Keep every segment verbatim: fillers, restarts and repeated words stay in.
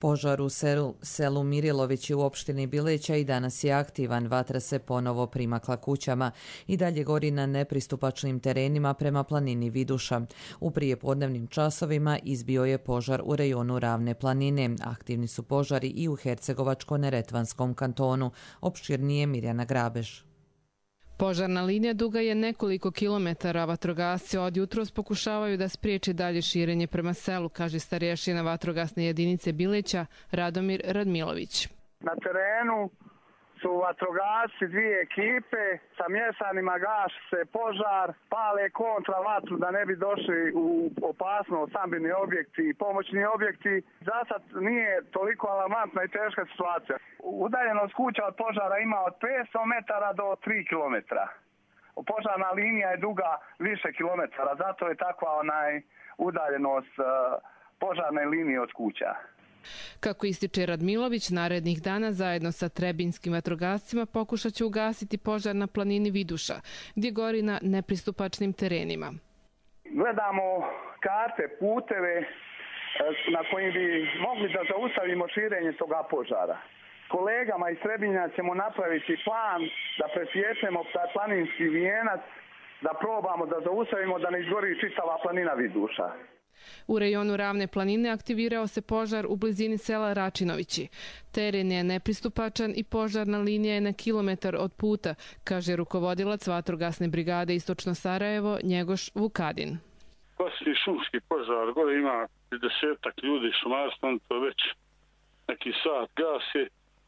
Požar u selu, selu Mirilovići u opštini Bileća i danas je aktivan, vatra se ponovo primakla kućama i dalje gori na nepristupačnim terenima prema planini Viduša. U prijepodnevnim časovima izbio je požar u rejonu Ravne planine. Aktivni su požari i u Hercegovačko-Neretvanskom kantonu. Opširnije Mirjana Grabež. Požarna linija duga je nekoliko kilometara, vatrogasci od jutros pokušavaju da spriječi dalje širenje prema selu, kaže starješina vatrogasne jedinice Bileća Radomir Radmilović. Na terenu su vatrogasci, dvije ekipe, sa mješanima gaši se požar, pale kontra vatru da ne bi došli u opasnost stambeni objekti i pomoćni objekti. Zasad nije toliko alarmantna i teška situacija. Udaljenost kuća od požara ima od petsto metara do tri kilometra. Požarna linija je duga više kilometara, zato je takva onaj udaljenost uh, požarne linije od kuća. Kako ističe Radmilović, narednih dana zajedno sa trebinskim vatrogascima pokušat će ugasiti požar na planini Viduša, gdje gori na nepristupačnim terenima. Gledamo karte, puteve na kojim bi mogli da zaustavimo širenje toga požara. Kolegama iz Trebinja ćemo napraviti plan da presječemo taj planinski vijenac, da probamo da zaustavimo da ne izgori čitava planina Viduša. U rejonu Ravne planine aktivirao se požar u blizini sela Račinovići. Teren je nepristupačan i požarna linija je na kilometar od puta, kaže rukovodilac vatrogasne brigade Istočno Sarajevo Njegoš Vukadin. Poslije šumski požar, gore ima desetak ljudi šumarstvom, to već neki sat gasi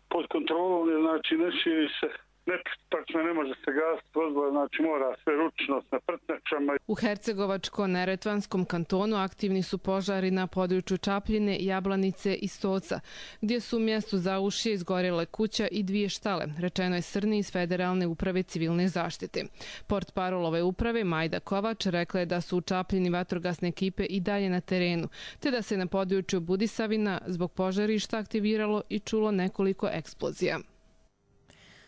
pod kontrolom, znači ne širi se. Nepristupačno ne može se gasiti vozila, znači mora sve ručno na prtnjačama. U Hercegovačko-Neretvanskom kantonu aktivni su požari na području Čapljine, Jablanice i Stoca, gdje su u mjestu Zaušje izgorjele kuća i dvije štale, rečeno je Srni iz Federalne uprave civilne zaštite. Portparol ove uprave Majda Kovač rekla je da su u Čapljini vatrogasne ekipe i dalje na terenu, te da se na području Budisavina zbog požarišta aktiviralo i čulo nekoliko eksplozija.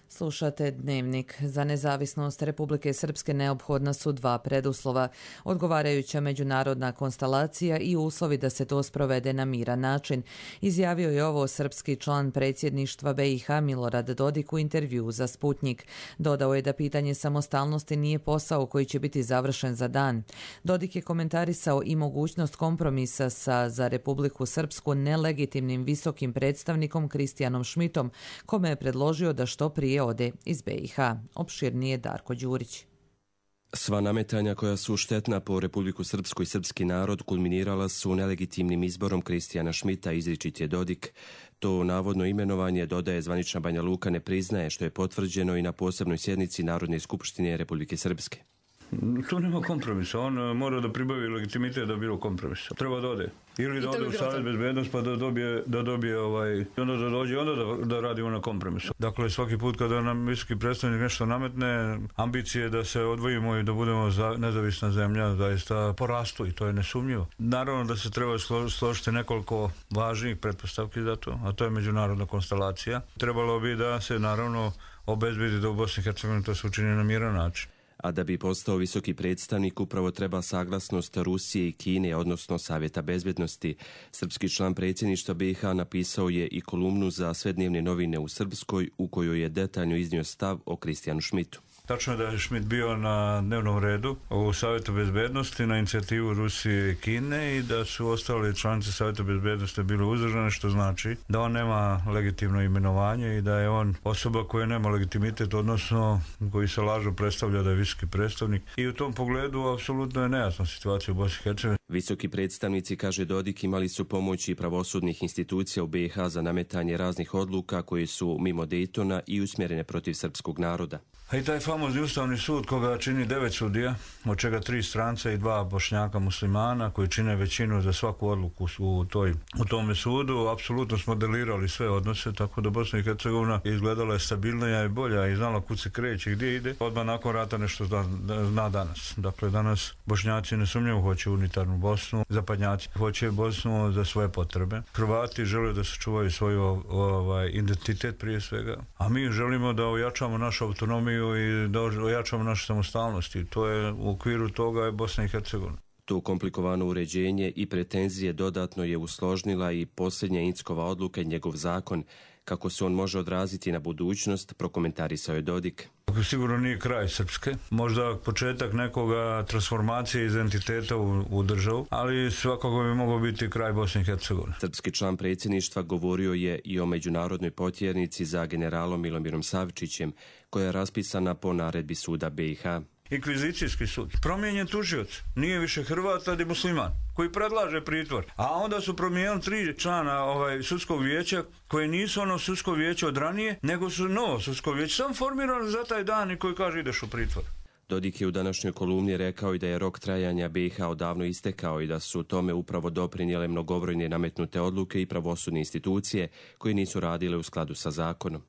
Slušate Dnevnik. Za nezavisnost Republike Srpske neophodna su dva preduslova, odgovarajuća međunarodna konstelacija i uslovi da se to sprovede na miran način. Izjavio je ovo srpski član predsjedništva B i H Milorad Dodik u intervjuu za Sputnjik. Dodao je da pitanje samostalnosti nije posao koji će biti završen za dan. Dodik je komentarisao i mogućnost kompromisa sa za Republiku Srpsku nelegitimnim visokim predstavnikom Kristijanom Šmitom, kome je predložio da što prije ode iz B i H. Opširnije Darko Đurić. Sva nametanja koja su štetna po Republiku Srpsku i srpski narod kulminirala su nelegitimnim izborom Kristijana Šmita, izričit je Dodik. To navodno imenovanje, dodaje, zvanična Banja Luka ne priznaje, što je potvrđeno i na posebnoj sjednici Narodne skupštine Republike Srpske. Tu nema kompromisa, on mora da pribavi legitimitet da bilo kompromisa. Treba da ode. Ili da ode u Savjet bezbednost pa da dobije, da dobije ovaj, onda da dođe, onda da, da radimo na kompromisu. Dakle, svaki put kada nam visoki predstavnik nešto nametne, ambicije da se odvojimo i da budemo za, nezavisna zemlja, zaista porastu i to je nesumnjivo. Naravno da se treba složiti nekoliko važnih pretpostavki za to, a to je međunarodna konstelacija. Trebalo bi da se naravno obezbedi da u Bosni i Hercegovini to se učini na miran način. A da bi postao visoki predstavnik upravo treba saglasnost Rusije i Kine, odnosno Savjeta bezbednosti. Srpski član predsjedništva B i H napisao je i kolumnu za sve dnevne novine u Srpskoj u kojoj je detaljno iznio stav o Kristijanu Šmitu. Tačno je da je Šmit bio na dnevnom redu u Savjetu bezbednosti na inicijativu Rusije i Kine i da su ostali članice Savjeta bezbednosti bili uzdržane, što znači da on nema legitimno imenovanje i da je on osoba koja nema legitimitet, odnosno koji se lažno predstavlja da je visoki predstavnik. I u tom pogledu apsolutno je nejasna situacija u Bosni i Hercegovini. Visoki predstavnici, kaže Dodik, imali su pomoći pravosudnih institucija u B i H za nametanje raznih odluka koje su mimo Dejtona i usmjerene protiv srpskog naroda. A i taj famozni Ustavni sud koga čini devet sudija, od čega tri stranca i dva Bošnjaka muslimana koji čine većinu za svaku odluku u, toj, u tome sudu, apsolutno smo modelirali sve odnose, tako da Bosna i Hercegovina izgledala je stabilnija i bolja i znala kud se kreće i gdje ide. Odmah nakon rata nešto zna, zna danas. Dakle, danas Bošnjaci nesumnjivo hoće unitarnu Bosnu, zapadnjaci hoće Bosnu za svoje potrebe. Hrvati žele da sačuvaju svoj ovaj, identitet prije svega, a mi želimo da ojačamo našu autonomiju i da ojačamo našu samostalnost i to je u okviru toga je Bosna i Hercegovina. To komplikovano uređenje i pretenzije dodatno je usložnila i posljednja Inckova odluka i njegov zakon. Kako se on može odraziti na budućnost, prokomentarisao je Dodik. Sigurno nije kraj Srpske, možda početak nekoga transformacije identiteta u, u državu, ali svakako bi mogao biti kraj Bosne i Hercegovine. Srpski član predsjedništva govorio je i o međunarodnoj potjernici za generalom Milomirom Savčićem, koja je raspisana po naredbi suda B i H. Inkvizicijski sud. Promijenjen tužioc. Nije više Hrvat, ali musliman, koji predlaže pritvor. A onda su promijenili tri člana ovaj, sudskog vijeća, koje nisu ono sudsko vijeće od ranije, nego su novo sudsko vijeće. Sam formirano za taj dan i koji kaže ideš u pritvor. Dodik je u današnjoj kolumni rekao i da je rok trajanja B i H odavno istekao i da su tome upravo doprinijele mnogobrojne nametnute odluke i pravosudne institucije koje nisu radile u skladu sa zakonom.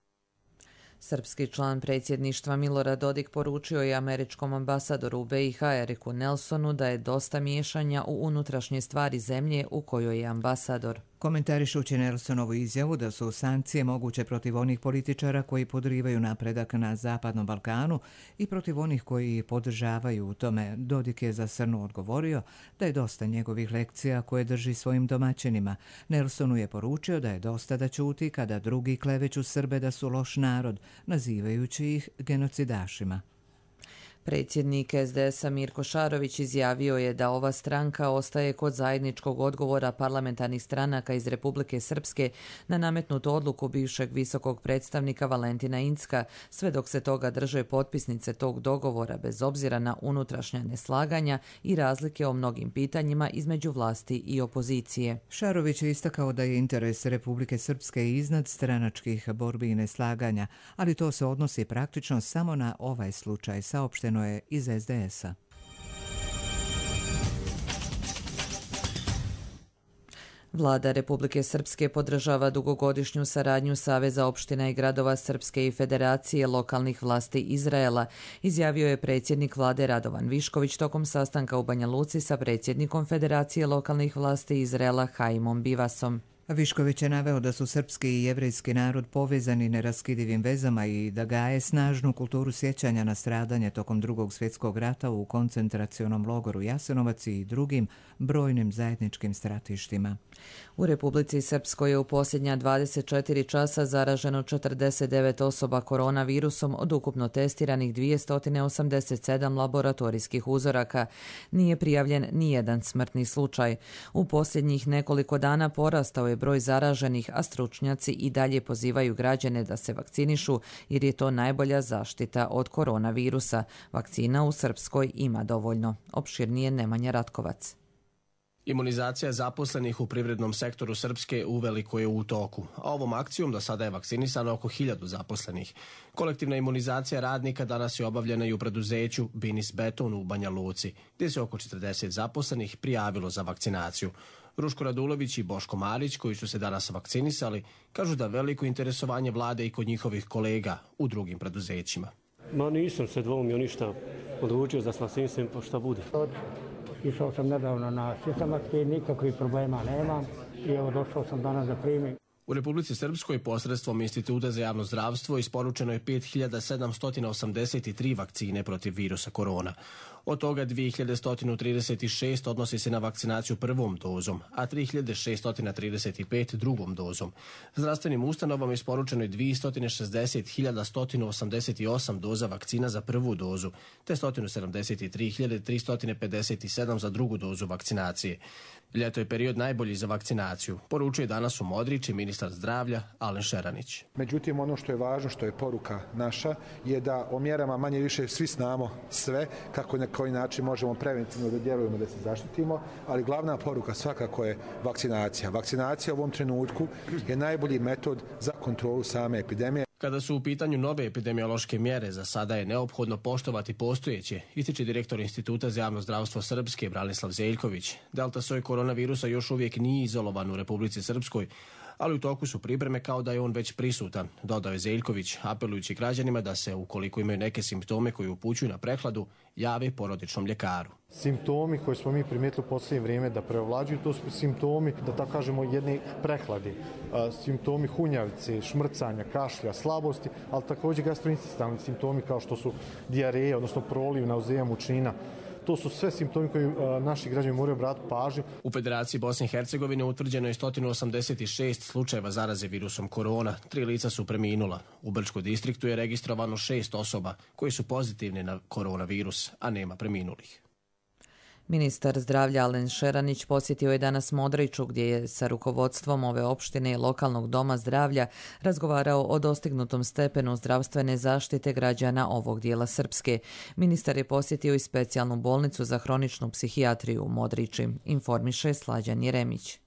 Srpski član predsjedništva Milorad Dodik poručio je američkom ambasadoru u B i H Eriku Nelsonu da je dosta miješanja u unutrašnje stvari zemlje u kojoj je ambasador. Komentarišući Nelsonovu izjavu da su sankcije moguće protiv onih političara koji podrivaju napredak na Zapadnom Balkanu i protiv onih koji podržavaju u tome, Dodik je za Srnu odgovorio da je dosta njegovih lekcija koje drži svojim domaćinima. Nelsonu je poručio da je dosta da ćuti kada drugi kleveću Srbe da su loš narod, nazivajući ih genocidašima. Predsjednik S D S-a Mirko Šarović izjavio je da ova stranka ostaje kod zajedničkog odgovora parlamentarnih stranaka iz Republike Srpske na nametnutu odluku bivšeg visokog predstavnika Valentina Incka, sve dok se toga drže potpisnice tog dogovora bez obzira na unutrašnja neslaganja i razlike o mnogim pitanjima između vlasti i opozicije. Šarović je istakao da je interes Republike Srpske iznad stranačkih borbi i neslaganja, ali to se odnosi praktično samo na ovaj slučaj, saopšteno je iz S D S-a. Vlada Republike Srpske podržava dugogodišnju saradnju Saveza opština i gradova Srpske i Federacije lokalnih vlasti Izraela, izjavio je predsjednik vlade Radovan Višković tokom sastanka u Banja Luci sa predsjednikom Federacije lokalnih vlasti Izraela Haimom Bivasom. Višković je naveo da su srpski i jevrejski narod povezani neraskidivim vezama i da gaje snažnu kulturu sjećanja na stradanje tokom Drugog svjetskog rata u koncentracionom logoru Jasenovac i drugim brojnim zajedničkim stratištima. U Republici Srpskoj je u posljednja dvadeset četiri časa zaraženo četrdeset devet osoba koronavirusom od ukupno testiranih dvjesto osamdeset sedam laboratorijskih uzoraka. Nije prijavljen nijedan smrtni slučaj. U posljednjih nekoliko dana porastao je broj zaraženih, a stručnjaci i dalje pozivaju građane da se vakcinišu jer je to najbolja zaštita od koronavirusa. Vakcina u Srpskoj ima dovoljno. Opširnije Nemanja Ratkovac. Imunizacija zaposlenih u privrednom sektoru Srpske uveliko je u toku, a ovom akcijom do sada je vakcinisano oko hiljadu zaposlenih. Kolektivna imunizacija radnika danas je obavljena i u preduzeću Binis Beton u Banja Luci, gdje se oko četrdeset zaposlenih prijavilo za vakcinaciju. Ruško Radulović i Boško Marić, koji su se danas vakcinisali, kažu da veliko interesovanje vlade i kod njihovih kolega u drugim preduzećima. Ma nisam se dvoumio ništa, odlučio za vakcinisam pa šta bude. Išao sam nedavno na sistematski, nikakvih problema nemam i evo došao sam danas da primim. U Republici Srpskoj posredstvom Instituta za javno zdravstvo isporučeno je pet hiljada sedamsto osamdeset tri vakcine protiv virusa korona. Od toga dvije hiljade sto trideset šest odnosi se na vakcinaciju prvom dozom, a tri hiljade šesto trideset pet drugom dozom. Zdravstvenim ustanovama isporučeno je dvjesto šezdeset hiljada sto osamdeset osam doza vakcina za prvu dozu, te sto sedamdeset tri hiljade tristo pedeset sedam za drugu dozu vakcinacije. Ljeto je period najbolji za vakcinaciju, poručuje danas u Modrići ministar zdravlja Alen Šeranić. Međutim, ono što je važno, što je poruka naša, je da o mjerama manje više svi znamo sve, kako na koji način možemo preventivno da djelujemo, da se zaštitimo, ali glavna poruka svakako je vakcinacija. Vakcinacija u ovom trenutku je najbolji metod za kontrolu same epidemije. Kada su u pitanju nove epidemiološke mjere, za sada je neophodno poštovati postojeće, ističe direktor Instituta za javno zdravstvo Srpske Branislav Zeljković. Delta soj koronavirusa još uvijek nije izolovan u Republici Srpskoj, ali u toku su pripreme kao da je on već prisutan, dodao je Zeljković, apelujući građanima da se, ukoliko imaju neke simptome koji upućuju na prehladu, jave porodičnom ljekaru. Simptomi koje smo mi primijetili u posljednje vrijeme da preovlađuju, to su simptomi, da tako kažemo, jedne prehladi, simptomi hunjavice, šmrcanja, kašlja, slabosti, ali također gastrointestinalni simptomi kao što su dijareja, odnosno proliv, nauzeja, mučnina. To su sve simptomi koji naši građani moraju obratiti pažnju. U Federaciji Bosne i Hercegovine utvrđeno je sto osamdeset šest slučajeva zaraze virusom korona. Tri lica su preminula. U Brčkom distriktu je registrovano šest osoba koji su pozitivne na koronavirus, a nema preminulih. Ministar zdravlja Alen Šeranić posjetio je danas Modriću gdje je sa rukovodstvom ove opštine i lokalnog doma zdravlja razgovarao o dostignutom stepenu zdravstvene zaštite građana ovog dijela Srpske. Ministar je posjetio i specijalnu bolnicu za hroničnu psihijatriju u Modrići, informiše Slađan Jeremić.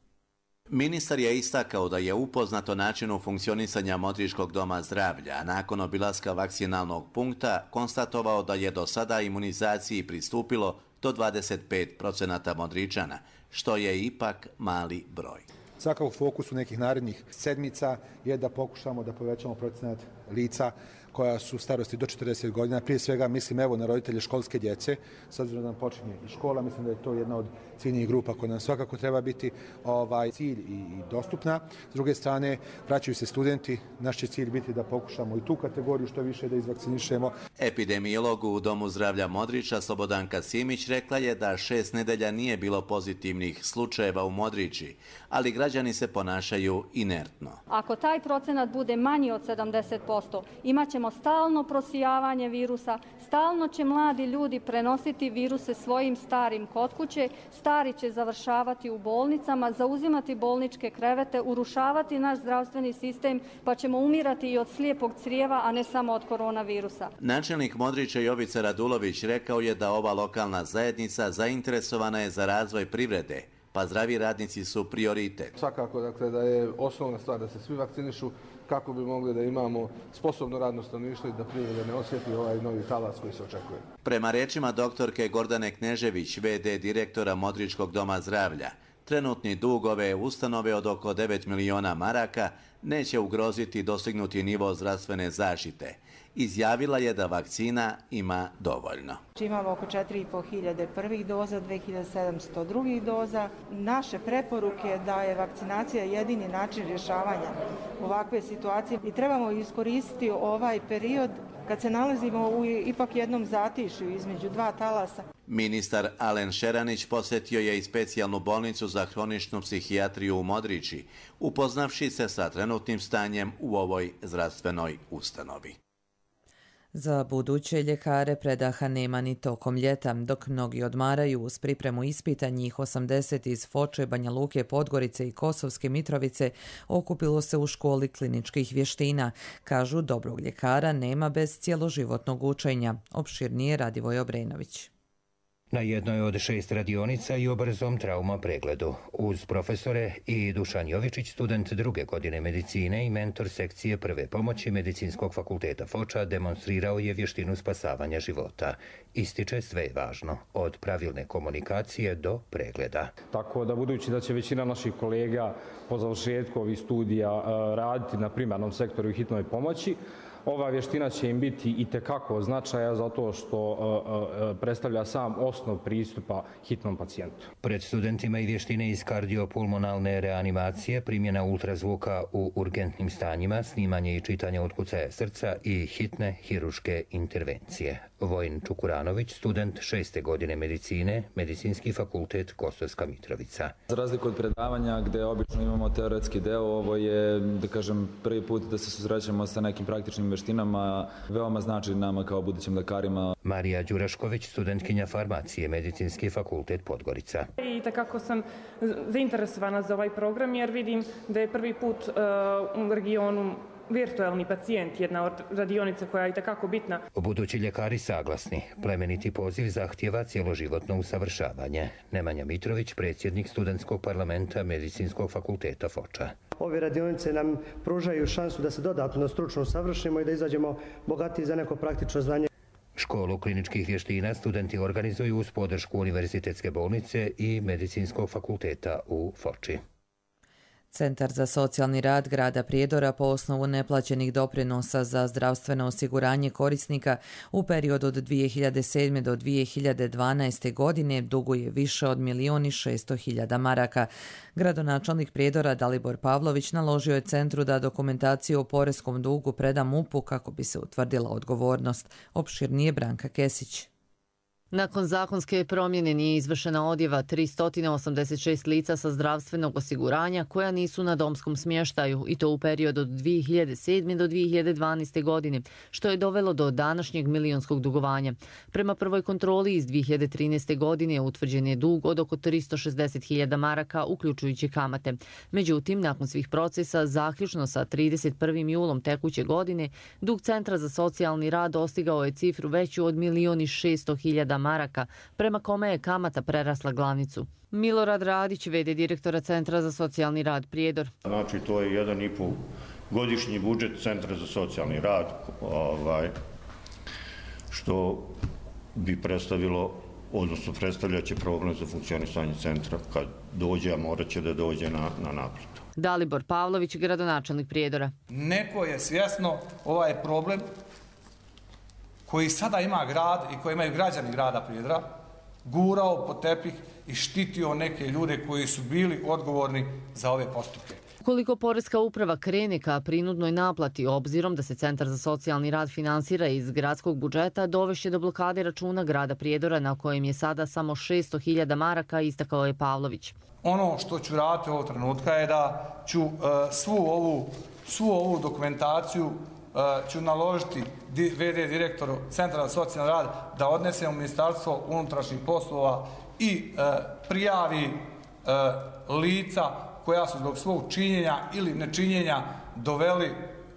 Ministar je istakao da je upoznat o načinu funkcionisanja Modričkog doma zdravlja, a nakon obilaska vakcinalnog punkta konstatovao da je do sada imunizaciji pristupilo do dvadeset pet procenata Modričana, što je ipak mali broj. Svakako u fokusu nekih narednih sedmica je da pokušamo da povećamo procenat lica koja su starosti do četrdeset godina. Prije svega mislim evo na roditelje školske djece, s obzirom da nam počinje i škola, mislim da je to jedna od ciljnih grupa koja nam svakako treba biti ovaj cilj i, i dostupna. S druge strane, vraćaju se studenti, naš će cilj biti da pokušamo i tu kategoriju što više da izvakcinišemo. Epidemiolog u Domu zdravlja Modrića Slobodanka Simić rekla je da šest nedelja nije bilo pozitivnih slučajeva u Modrići, ali građani se ponašaju inertno. Ako taj procenat bude manji od sedamdeset posto, imat ćemo stalno prosijavanje virusa, stalno će mladi ljudi prenositi viruse svojim starim kod kuće, stari će završavati u bolnicama, zauzimati bolničke krevete, urušavati naš zdravstveni sistem, pa ćemo umirati i od slijepog crijeva, a ne samo od koronavirusa. Načelnik Modrića Jovica Radulović rekao je da ova lokalna zajednica zainteresovana je za razvoj privrede, pa zdravi radnici su prioritet. Svakako dakle, da je osnovna stvar da se svi vakcinišu kako bi mogli da imamo sposobno radno stanovništvo i da privreda ne osjeti ovaj novi talas koji se očekuje. Prema rečima doktorke Gordane Knežević, ve de direktora Modričkog doma zdravlja, trenutni dug ove ustanove od oko devet miliona maraka neće ugroziti dostignuti nivo zdravstvene zaštite. Izjavila je da vakcina ima dovoljno. Imamo oko četiri i po hiljade prvih doza, dve hiljade sedamsto drugih doza. Naše preporuke je da je vakcinacija jedini način rješavanja ovakve situacije i trebamo iskoristiti ovaj period kad se nalazimo u ipak jednom zatišju između dva talasa. Ministar Alen Šeranić posjetio je i specijalnu bolnicu za hroničnu psihijatriju u Modrići, upoznavši se sa trenutnim stanjem u ovoj zdravstvenoj ustanovi. Za buduće ljekare predaha nema ni tokom ljeta, dok mnogi odmaraju uz pripremu ispita, njih osamdeset iz Foče, Banja Luke, Podgorice i Kosovske Mitrovice okupilo se u školi kliničkih vještina. Kažu, dobrog ljekara nema bez cjeloživotnog učenja. Opširnije Radivoj Obrenović. Na jednoj od šest radionica i o brzom trauma pregledu. Uz profesore i Dušan Jovičić, student druge godine medicine i mentor sekcije prve pomoći Medicinskog fakulteta Foča, demonstrirao je vještinu spasavanja života. Ističe, sve je važno, od pravilne komunikacije do pregleda. Tako da, budući da će većina naših kolega po završetku ovih studija raditi na primarnom sektoru i hitnoj pomoći, ova vještina će im biti itekako značaja zato što uh, uh, predstavlja sam osnov pristupa hitnom pacijentu. Pred studentima i vještine iz kardiopulmonalne reanimacije, primjena ultrazvuka u urgentnim stanjima, snimanje i čitanje otkucaja srca i hitne hiruške intervencije. Vojin Čukuranović, student šeste godine medicine, Medicinski fakultet Kosovska Mitrovica. Za razliku od predavanja gdje obično imamo teoretski deo, ovo je, da kažem, prvi put da se susrećemo sa nekim praktičnim vještinama, veoma znači nama kao budućim lekarima. Marija Đurašković, studentkinja farmacije, Medicinski fakultet Podgorica. I takako sam zainteresovana za ovaj program jer vidim da je prvi put uh, u regionu virtualni pacijent, jedna od radionica koja je itekako bitna. Budući ljekari saglasni. Plemeniti poziv zahtjeva cjeloživotno usavršavanje. Nemanja Mitrović, predsjednik studentskog parlamenta Medicinskog fakulteta Foča. Ove radionice nam pružaju šansu da se dodatno stručno usavršimo i da izađemo bogatiji za neko praktično znanje. Školu kliničkih vještina studenti organizuju uz podršku Univerzitetske bolnice i Medicinskog fakulteta u Foči. Centar za socijalni rad grada Prijedora po osnovu neplaćenih doprinosa za zdravstveno osiguranje korisnika u periodu od dvije hiljade sedme. do dvije hiljade dvanaeste. godine duguje više od milijun i šesto hiljada maraka. Gradonačelnik Prijedora Dalibor Pavlović naložio je centru da dokumentaciju o poreskom dugu preda M U P-u kako bi se utvrdila odgovornost. Opširnije Branka Kesić. Nakon zakonske promjene nije izvršena odjava tristo osamdeset šest lica sa zdravstvenog osiguranja koja nisu na domskom smještaju i to u periodu od dvije hiljade sedme. do dvije hiljade dvanaeste. godine, što je dovelo do današnjeg milionskog dugovanja. Prema prvoj kontroli iz dvije hiljade trinaeste. godine utvrđen je dug od oko tristo šezdeset hiljada maraka, uključujući kamate. Međutim, nakon svih procesa, zaključno sa trideset prvim julom tekuće godine, dug Centra za socijalni rad dostigao je cifru veću od milion i šesto hiljada maraka, prema kome je kamata prerasla glavnicu. Milorad Radić, v d direktora Centra za socijalni rad Prijedor. Znači, to je jedan i pol godišnji budžet Centra za socijalni rad, ovaj, što bi predstavilo, odnosno predstavljaće problem za funkcionisanje centra kad dođe, a morat će da dođe na, na naplatu. Dalibor Pavlović, gradonačelnik Prijedora. Neko je svjesno ovaj problem koji sada ima grad i koji imaju građani grada Prijedora, gurao po tepih i štitio neke ljude koji su bili odgovorni za ove postupke. Ukoliko Poreska uprava krene ka prinudnoj naplati, obzirom da se Centar za socijalni rad finansira iz gradskog budžeta, dovešće do blokade računa grada Prijedora na kojem je sada samo šesto hiljada maraka, istakao je Pavlović. Ono što ću raditi ovog trenutka je da ću uh, svu, ovu, svu ovu dokumentaciju uh, ću naložiti v d direktoru Centra za socijalni rad da odnese u Ministarstvo unutrašnjih poslova i uh, prijavi uh, lica koja su zbog svog činjenja ili nečinjenja doveli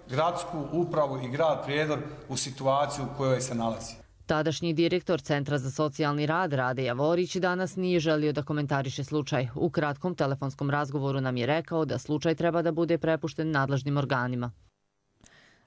gradsku upravu i grad Prijedor u situaciju u kojoj se nalazi. Tadašnji direktor Centra za socijalni rad Rade Javorić danas nije želio da komentariše slučaj. U kratkom telefonskom razgovoru nam je rekao da slučaj treba da bude prepušten nadležnim organima.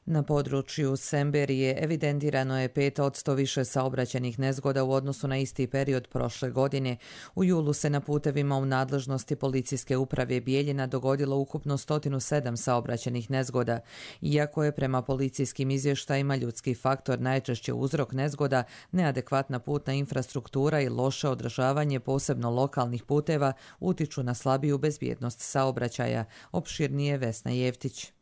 Na području Semberije evidentirano je pet posto više saobraćajnih nezgoda u odnosu na isti period prošle godine. U julu se na putevima u nadležnosti policijske uprave Bijeljina dogodilo ukupno sto sedam saobraćajnih nezgoda. Iako je prema policijskim izvještajima ljudski faktor najčešće uzrok nezgoda, neadekvatna putna infrastruktura i loše održavanje posebno lokalnih puteva utiču na slabiju bezbjednost saobraćaja. Opširnije Vesna Jevtić.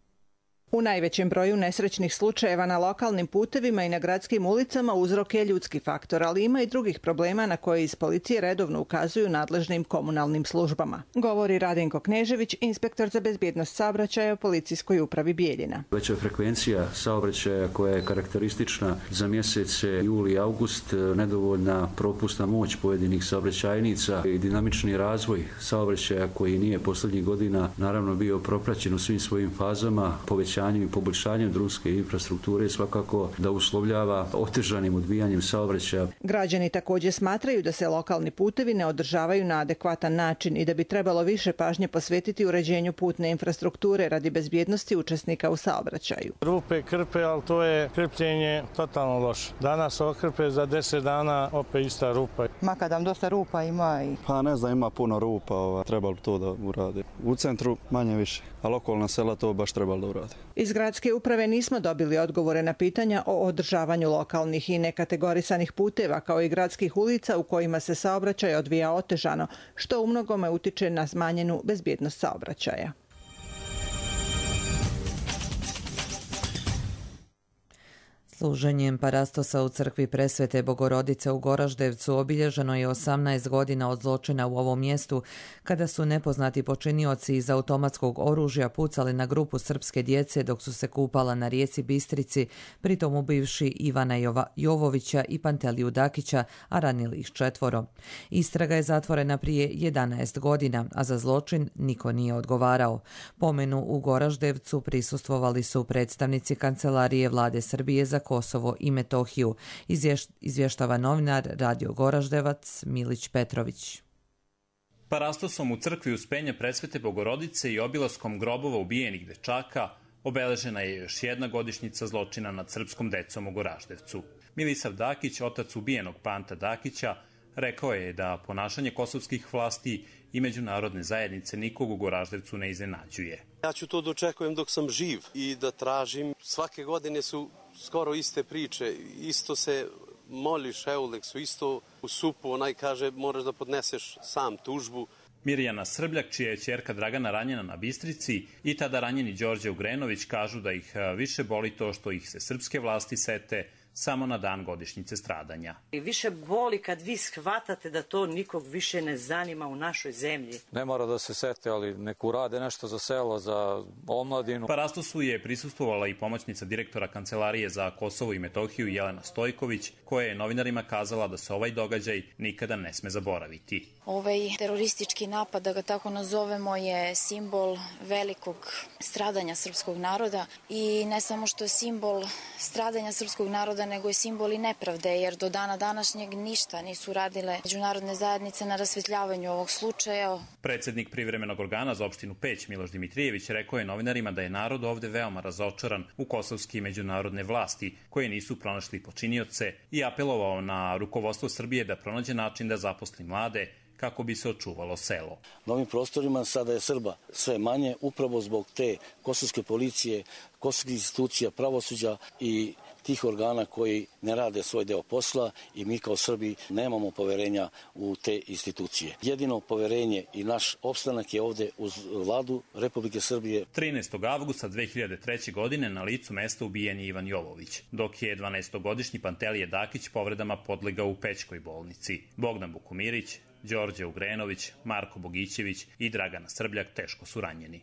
U najvećem broju nesrećnih slučajeva na lokalnim putevima i na gradskim ulicama uzrok je ljudski faktor, ali ima i drugih problema na koje iz policije redovno ukazuju nadležnim komunalnim službama. Govori Radenko Knežević, inspektor za bezbjednost saobraćaja u policijskoj upravi Bijeljina. Veća frekvencija saobraćaja koja je karakteristična za mjesece juli i august, nedovoljna propusna moć pojedinih saobraćajnica i dinamični razvoj saobraćaja koji nije posljednjih godina naravno bio propraćen u svim svojim fazama, povećanje i poboljšanjem drumske infrastrukture svakako da uslovljava otežanim odvijanjem saobraćaja. Građani također smatraju da se lokalni putevi ne održavaju na adekvatan način i da bi trebalo više pažnje posvetiti uređenju putne infrastrukture radi bezbjednosti učesnika u saobraćaju. Rupe krpe, ali to je krpljenje totalno loše. Danas okrpe, za deset dana opet ista rupa. Makadam dosta rupa ima i... Pa ne znam, ima puno rupa, ova, trebalo to da uradi. U centru manje više, a lokalna sela to baš trebalo da uradi. Iz gradske uprave nismo dobili odgovore na pitanja o održavanju lokalnih i nekategorisanih puteva kao i gradskih ulica u kojima se saobraćaj odvija otežano, što umnogome utiče na smanjenu bezbjednost saobraćaja. Služenjem parastosa u crkvi Presvete Bogorodice u Goraždevcu obilježeno je osamnaest godina od zločina u ovom mjestu, kada su nepoznati počinioci iz automatskog oružja pucali na grupu srpske djece dok su se kupala na rijeci Bistrici, pritom ubivši Ivana Jova, Jovovića i Panteliju Dakića, a ranili ih četvoro. Istraga je zatvorena prije jedanaest godina, a za zločin niko nije odgovarao. Pomenu u Goraždevcu prisustvovali su predstavnici Kancelarije Vlade Srbije za Kosovo i Metohiju, izvještava novinar Radio Goraždevac Milić Petrović. Parastosom u crkvi Uspenja Presvete Bogorodice i obilaskom grobova ubijenih dečaka obeležena je još jedna godišnjica zločina nad srpskom decom u Goraždevcu. Milisav Dakić, otac ubijenog Panta Dakića, rekao je da ponašanje kosovskih vlasti i međunarodne zajednice nikog u Goraždevcu ne iznenađuje. Ja ću to dočekujem dok sam živ i da tražim. Svake godine su skoro iste priče, isto se moliš Euleksu, isto u supu, onaj kaže moraš da podneseš sam tužbu. Mirjana Srbljak, čija je ćerka Dragana ranjena na Bistrici, i tada ranjeni Đorđe Ugrenović kažu da ih više boli to što ih se srpske vlasti sete samo na dan godišnjice stradanja. I više boli kad vi shvatate da to nikog više ne zanima u našoj zemlji. Ne mora da se sete, ali nek urade nešto za selo, za omladinu. Parastosu je prisustvovala i pomoćnica direktora Kancelarije za Kosovo i Metohiju Jelena Stojković, koja je novinarima kazala da se ovaj događaj nikada ne sme zaboraviti. Ovaj teroristički napad, da ga tako nazovemo, je simbol velikog stradanja srpskog naroda i ne samo što je simbol stradanja srpskog naroda, nego je simbol i nepravde, jer do dana današnjeg ništa nisu radile međunarodne zajednice na rasvetljavanju ovog slučaja. Predsednik privremenog organa za opštinu Peć Miloš Dimitrijević rekao je novinarima da je narod ovde veoma razočaran u kosovske i međunarodne vlasti koje nisu pronašli počinioce i apelovao na rukovodstvo Srbije da pronađe način da zaposli mlade kako bi se očuvalo selo. Na ovim prostorima sada je Srba sve manje upravo zbog te kosovske policije, kosovskih institucija, pravosuđa i tih organa koji ne rade svoj deo posla i mi kao Srbi nemamo poverenja u te institucije. Jedino poverenje i naš opstanak je ovde uz vladu Republike Srbije. trinaestog avgusta dve hiljade treće. godine na licu mesta ubijen je Ivan Jovović, dok je dvanaestogodišnji Pantelije Dakić povredama podlegao u Pećkoj bolnici. Bogdan Bukumirić, Đorđe Ugrenović, Marko Bogićević i Dragana Srbljak teško su ranjeni.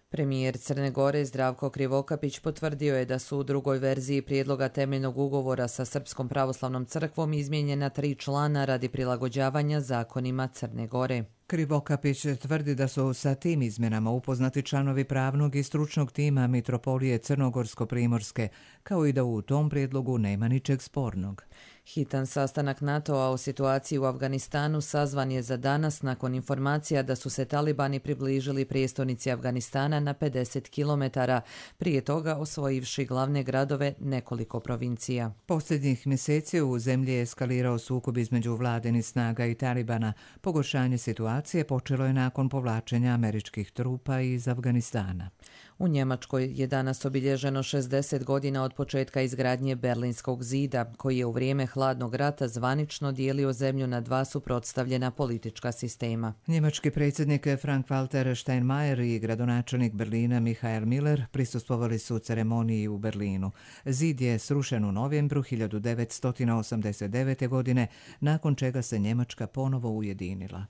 Premijer Crne Gore Zdravko Krivokapić potvrdio je da su u drugoj verziji prijedloga temeljnog ugovora sa Srpskom pravoslavnom crkvom izmijenjena tri člana radi prilagođavanja zakonima Crne Gore. Krivokapić tvrdi da su sa tim izmjenama upoznati članovi pravnog i stručnog tima Mitropolije Crnogorsko-Primorske, kao i da u tom prijedlogu nema ničeg spornog. Hitan sastanak NATO-a o situaciji u Afganistanu sazvan je za danas nakon informacija da su se talibani približili prijestolnici Afganistana na pedeset kilometara, prije toga osvojivši glavne gradove nekoliko provincija. Posljednjih mjeseci u zemlji je eskalirao sukob između vladinih snaga i talibana. Pogoršanje situacije počelo je nakon povlačenja američkih trupa iz Afganistana. U Njemačkoj je danas obilježeno šezdeset godina od početka izgradnje Berlinskog zida, koji je u vrijeme hladnog rata zvanično dijelio zemlju na dva suprotstavljena politička sistema. Njemački predsjednik Frank-Walter Steinmeier i gradonačelnik Berlina Michael Miller prisustvovali su ceremoniji u Berlinu. Zid je srušen u novembru hiljadu devetsto osamdeset devete. godine, nakon čega se Njemačka ponovo ujedinila.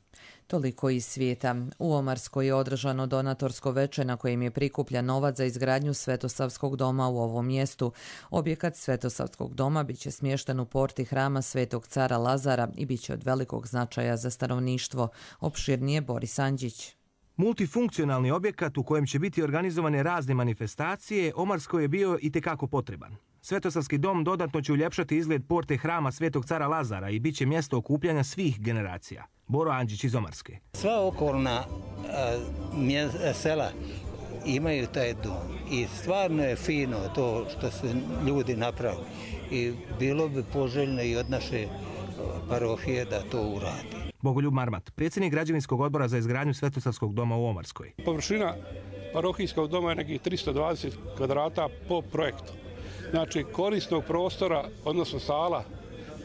Toliko iz svijeta. U Omarskoj je održano donatorsko veče na kojem je prikupljan novac za izgradnju Svetosavskog doma u ovom mjestu. Objekat Svetosavskog doma biće smješten u porti hrama Svetog cara Lazara i biće od velikog značaja za stanovništvo. Opširnije Boris Andžić. Multifunkcionalni objekat u kojem će biti organizovane razne manifestacije, Omarskoj je bio itekako potreban. Svetosavski dom dodatno će uljepšati izgled porte hrama Svetog cara Lazara i bit će mjesto okupljanja svih generacija. Boro Andžić iz Omarske. Sva okolna a, sela imaju taj dom i stvarno je fino to što su ljudi napravili i bilo bi poželjno i od naše parohije da to uradi. Bogoljub Marmat, predsjednik građevinskog odbora za izgradnju Svetosavskog doma u Omarskoj. Površina parohijskog doma je nekih tristo dvadeset kvadrata po projektu. Znači korisnog prostora, odnosno sala,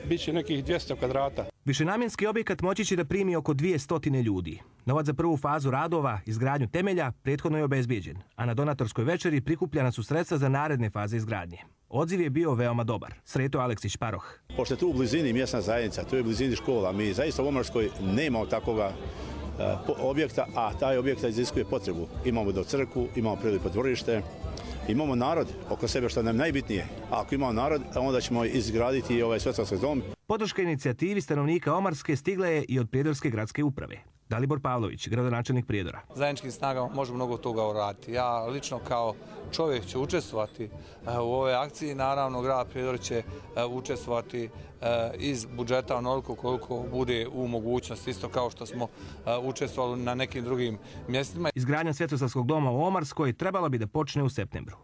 bit će nekih dvjesto kvadrata. Višenamjenski objekat moći će da primi oko dvjesto ljudi. Novac za prvu fazu radova, izgradnju temelja, prethodno je obezbijeđen, a na donatorskoj večeri prikupljena su sredstva za naredne faze izgradnje. Odziv je bio veoma dobar. Sreto Aleksić Paroh. Pošto je tu u blizini mjesna zajednica, tu je u blizini škola, mi zaista u Omarskoj nemamo takvoga uh, objekta, a taj objekt iziskuje potrebu. Imamo do crkvu, imamo prilipo dvorište, imamo narod oko sebe što nam je najbitnije. A ako imamo narod, onda ćemo izgraditi ovaj Svetosavski dom. Podrška inicijativi stanovnika Omarske stigla je i od Prijedorske gradske uprave. Dalibor Pavlović, gradonačelnik Prijedora. Zajedničkim snagama možemo mnogo toga uraditi. Ja lično kao čovjek ću učestvovati u ovoj akciji. Naravno, grad Prijedor će učestvovati iz budžeta onoliko koliko bude u mogućnosti, isto kao što smo učestvovali na nekim drugim mjestima. Izgradnja Svetosavskog doma u Omarskoj trebala bi da počne u septembru.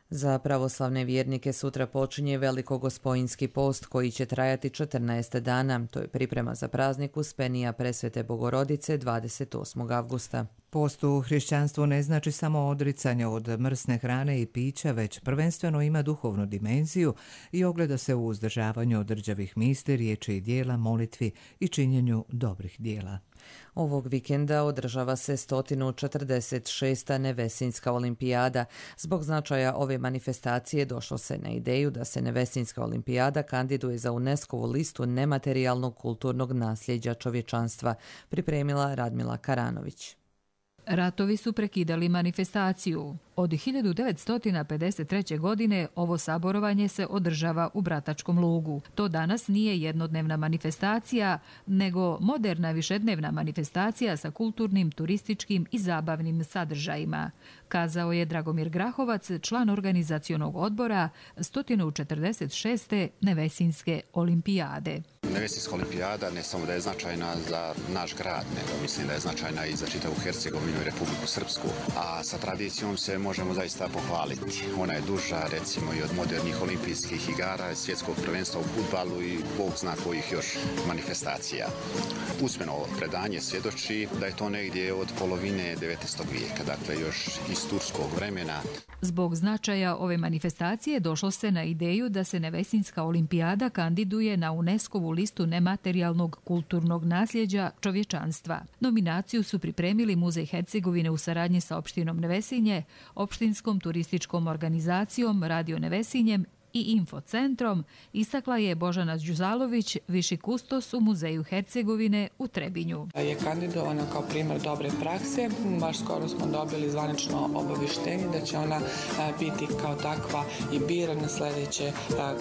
Za pravoslavne vjernike sutra počinje Velikogospojinski post koji će trajati četrnaest dana. To je priprema za praznik Uspenija Presvete Bogorodice dvadeset osmog avgusta. Post u hrišćanstvu ne znači samo odricanje od mrsne hrane i pića, već prvenstveno ima duhovnu dimenziju i ogleda se u uzdržavanju od rđavih misli, riječi i dijela, molitvi i činjenju dobrih dijela. Ovog vikenda održava se sto četrdeset šesta Nevesinjska olimpijada. Zbog značaja ove manifestacije došlo se na ideju da se Nevesinjska olimpijada kandiduje za UNESCO-vu listu nematerijalnog kulturnog nasljeđa čovječanstva, pripremila Radmila Karanović. Ratovi su prekidali manifestaciju. Od hiljadu devetsto pedeset treće. godine ovo saborovanje se održava u Bratačkom lugu. To danas nije jednodnevna manifestacija, nego moderna višednevna manifestacija sa kulturnim, turističkim i zabavnim sadržajima, kazao je Dragomir Grahovac, član organizacionog odbora sto četrdeset šeste Nevesinjske olimpijade. Nevesinjska olimpijada ne samo da je značajna za naš grad, nego mislim da je značajna i za čitavu Hercegovinu i Republiku Srpsku, a sa tradicijom se možemo zaista pohvaliti. Ona je duža, recimo, i od modernih olimpijskih igara, svjetskog prvenstva u fudbalu i bog zna kojih još manifestacija. Usmeno predanje svjedoči da je to negdje od polovine devetnaestog vijeka, dakle još iz turskog vremena. Zbog značaja ove manifestacije došlo se na ideju da se Nevesinjska olimpijada kandiduje na UNESCO-vu listu nematerijalnog kulturnog nasljeđa čovječanstva. Nominaciju su pripremili Muzej Hercegovine u saradnji sa opštinom Nevesinje, opštinskom turističkom organizacijom Radio Nevesinjem i Infocentrom, istakla je Božana Đuzalović, viši kustos u Muzeju Hercegovine u Trebinju. Je kandidovana kao primjer dobre prakse. Baš skoro smo dobili zvanično obavještenje da će ona biti kao takva i birana sljedeće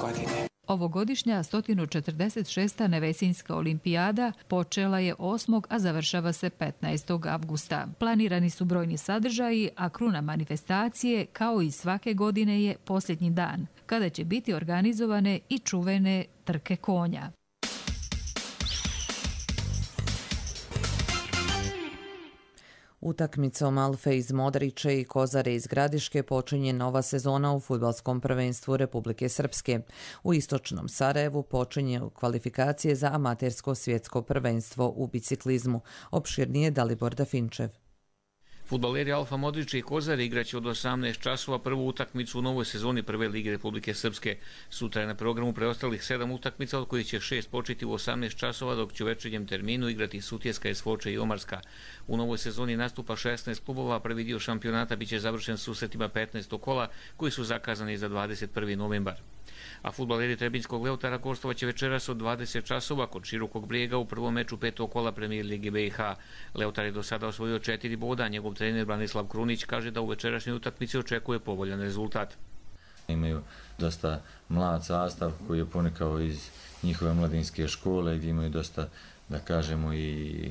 godine. Ovogodišnja sto četrdeset šesta Nevesinjska olimpijada počela je osmog a završava se petnaestog avgusta. Planirani su brojni sadržaji, a kruna manifestacije, kao i svake godine, je posljednji dan, kada će biti organizovane i čuvene trke konja. Utakmicom Alfe iz Modriće i Kozare iz Gradiške počinje nova sezona u fudbalskom prvenstvu Republike Srpske. U istočnom Sarajevu počinje kvalifikacije za amatersko svjetsko prvenstvo u biciklizmu. Opširnije Dalibor Dafinčev. Fudbaleri Alfa Modriće i Kozare igraće od osamnaest časova prvu utakmicu u novoj sezoni Prve lige Republike Srpske. Sutra je na programu preostalih sedam utakmica, od kojih će šest početi u osamnaest časova, dok će u večernjem terminu igrati Sutjeska, Esfoče i Omarska. U novoj sezoni nastupa šesnaest klubova, prvi dio šampionata biće završen susretima petnaestog kola, koji su zakazani za dvadeset prvi novembar. A fudbaleri Trebinjskog Leutara gostovaće večeras od dvadeset časova kod Širokog Brijega u prvom meču petog kola Premijer Lige B i H. Leutar je do sada osvojio četiri boda, njegov trener Branislav Krunić kaže da u večerašnjoj utakmici očekuje povoljan rezultat. Imaju dosta mlad sastav koji je ponikao iz njihove mladinske škole, gdje imaju dosta, da kažemo, i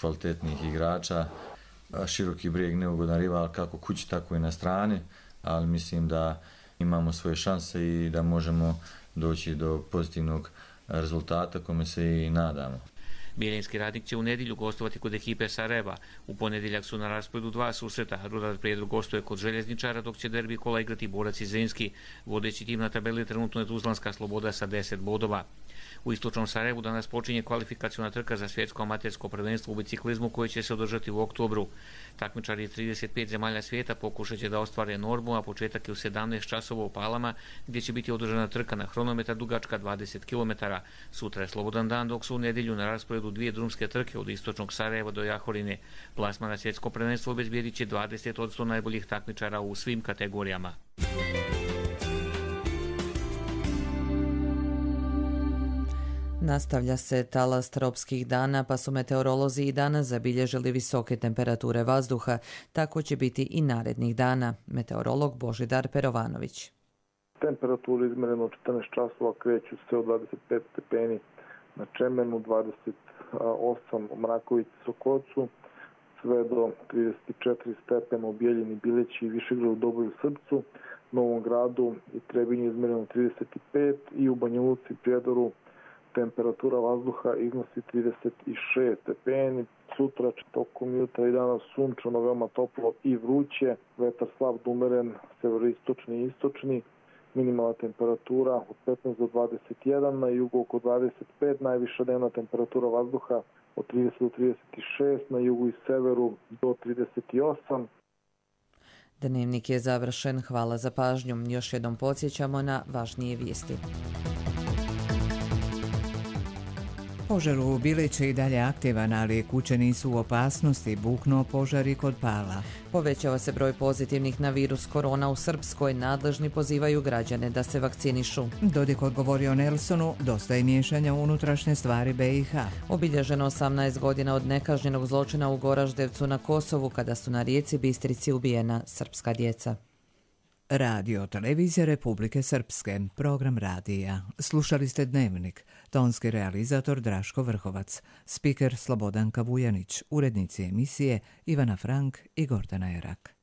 kvalitetnih igrača. Široki Brijeg neugodan rival kako kući, tako i na strani, ali mislim da imamo svoje šanse i da možemo doći do pozitivnog rezultata kome se i nadamo. Bijeljinski Radnik će u nedjelju gostovati kod ekipe Sarajeva. U ponedjeljak su na rasporedu dva susreta. Rudar Prijedor gostuje kod Željezničara, dok će derbi kola igrati Borac i Zrinski. Vodeći tim na tabeli trenutno je Tuzlanska Sloboda sa deset bodova. U istočnom Sarajevu danas počinje kvalifikacijona trka za svjetsko amatersko prvenstvo u biciklizmu koje će se održati u oktobru. Takmičari iz trideset pet zemalja svijeta pokušat će da ostvare normu, a početak je u sedamnaest časova u Palama, gdje će biti održana trka na hronometar dugačka dvadeset kilometara. Sutra je slobodan dan, dok su u nedjelju na rasporedu dvije drumske trke od istočnog Sarajeva do Jahorine. Plasman na svjetsko prvenstvo obezbijedit će dvadeset posto najboljih takmičara u svim kategorijama. Nastavlja se talas tropskih dana, pa su meteorolozi i danas zabilježili visoke temperature vazduha. Tako će biti i narednih dana. Meteorolog Božidar Perovanović. Temperaturu izmjereno četrnaest časova kreću se od dvadeset pet stepeni na Čemenu, dvadeset osam u Mrakovici, Sokocu, sve do trideset četiri stepena u Bijeljini, Bileći i Višegradu, Doboju, Srpcu, Novom Gradu i Trebinju izmjereno trideset pet i u Banja Luci, Prijedoru temperatura vazduha iznosi trideset šest stepeni. Sutra tokom jutra i danas sunčano, veoma toplo i vruće, vetar slab umeren, severoistočni i istočni minimalna temperatura od petnaest do dvadeset jedan, na jugu oko dvadeset pet, najviša dnevna temperatura vazduha od trideset do trideset šest, na jugu i severu do trideset osam. Dnevnik je završen. Hvala za pažnju. Još jednom podsjećamo na važnije vijesti. Požar u Bilići je i dalje aktivan, ali kuće nisu u opasnosti, buknuo požar i kod Pala. Povećava se broj pozitivnih na virus korona u Srpskoj. Nadležni pozivaju građane da se vakcinišu. Dodik odgovorio Nelsonu, dosta je miješanja u unutrašnje stvari be i ha. Obilježeno osamnaest godina od nekažnjenog zločina u Goraždevcu na Kosovu, kada su na rijeci Bistrici ubijena srpska djeca. Radio Televizija Republike Srpske, program radija. Slušali ste Dnevnik, tonski realizator Draško Vrhovac, spiker Slobodanka Vujanić, urednici emisije Ivana Frank i Gordana Erak.